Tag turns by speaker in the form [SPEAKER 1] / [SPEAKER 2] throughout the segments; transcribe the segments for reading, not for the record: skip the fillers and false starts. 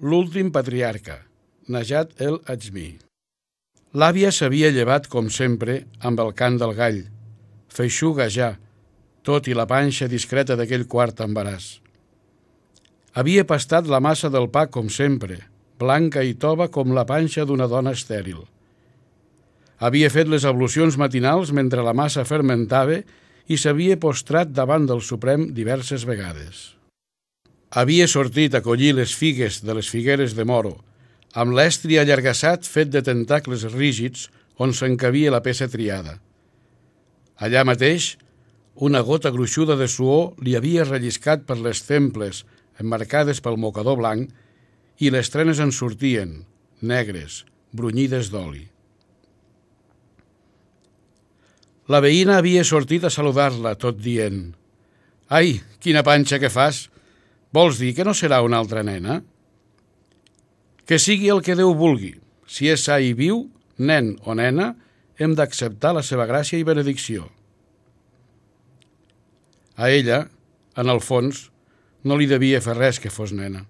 [SPEAKER 1] l'últim patriarca, Najat el-Ajmi. L'àvia s'havia llevat, com sempre, amb el cant del gall, feixuga ja, tot i la panxa discreta d'aquell quart embaràs. Havia pastat la massa del pa, com sempre, blanca i tova com la panxa d'una dona estèril. Havia fet les ablucions matinals mentre la massa fermentava i s'havia postrat davant del Suprem diverses vegades. Havia sortit a collir les figues de les figueres de Moro, amb l'estri allargassat fet de tentacles rígids on s'encabia la peça triada. Allà mateix, una gota gruixuda de suor li havia relliscat per les temples emmarcades pel mocador blanc i les trenes en sortien, negres, brunyides d'oli. La veïna havia sortit a saludar-la, tot dient: «Ai, quina panxa que fas! Vols dir que no serà una altra nena?» «Que sigui el que Déu vulgui. Si és sa i viu, nen o nena, hem d'acceptar la seva gràcia i benedicció». A ella, en el fons, no li devia fer res que fos nena.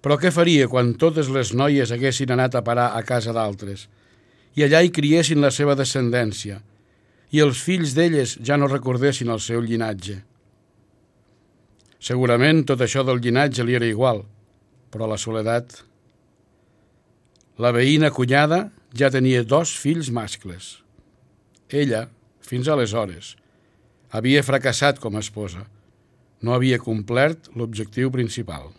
[SPEAKER 1] Però què faria quan totes les noies haguessin anat a parar a casa d'altres i allà hi criessin la seva descendència i els fills d'elles ja no recordessin el seu llinatge? Segurament tot això del llinatge li era igual, però la soledat... La veïna cunyada ja tenia 2 fills mascles. Ella, fins aleshores, havia fracassat com a esposa. No havia complert l'objectiu principal.